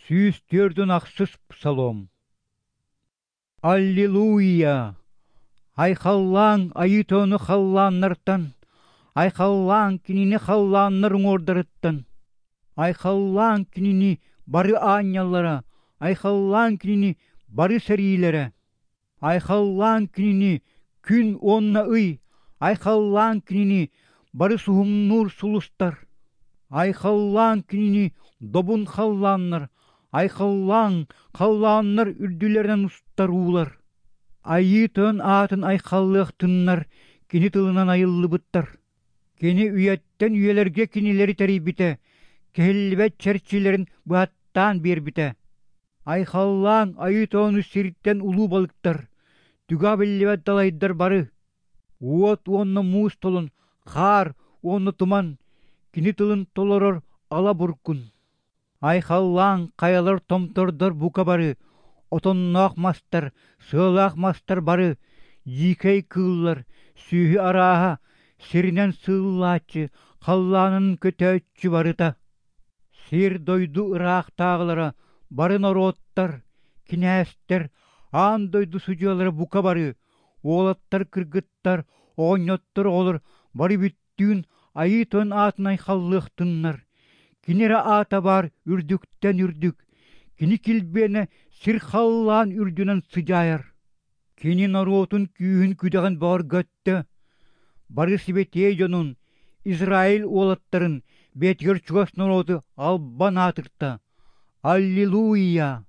146 псалом. Аллилуйя! Айхаллааҥ Айыы Тойону халлааннартан, айхаллааҥ Кинини халлааннар уҥуордарыттан, айхаллааҥ Кинини бары аанньаллара, айхаллааҥ Кинини бары сэриилэрэ, айхаллааҥ Кинини күн уонна ый, айхаллааҥ Кинини бары суһумнуур сулустар, айхаллааҥ Кинини добун халлааннар, айхаллааҥ халлааннар үрдүлэринэн устар уулар. Айыы Тойон аатын айхаллыахтыннар кини тылынан айыллыбыттар. Кини үйэттэн үйэлэргэ кинилэри тэрийбитэ, кэһиллибэт чэрчилэрин быһаттаан биэрбитэ. Айхаллааҥ Айыы Тойону сиртэн улуу балыктар, түгэҕэ биллибэт далайдар бары, уот уонна муус толон, хаар уонна туман, кини тылын толорор ала буркун. Айхаллааҥ хайалар томтордор бука бары, отонноох мастар, сыалаах мастар бары, дьиикэй кыыллар, сүөһү арааһа, сиринэн сыыллааччы, халлаанын көтөөччү барыта. Сир-дойду ыраахтааҕылара бары норуоттар, кинээстэр, аан дойду судьуйалара бука бары, уолаттар, кыргыттар, оҕонньоттор, оҕолор бары бүттүүн Айыы Тойон аатын айхаллыахтыннар, кини эрэ аата баар үрдүктэн үрдүк, кини килбиэнэ сир-халлаан үрдүнэн сыдьаайар. Кини норуотун күүһүн-күдэҕин бөҕөргөттө, бары сибэтиэй дьонун, Израиль уолаттарын бэйэтигэр чугас норуоту албан аатырта. Аллилуйя!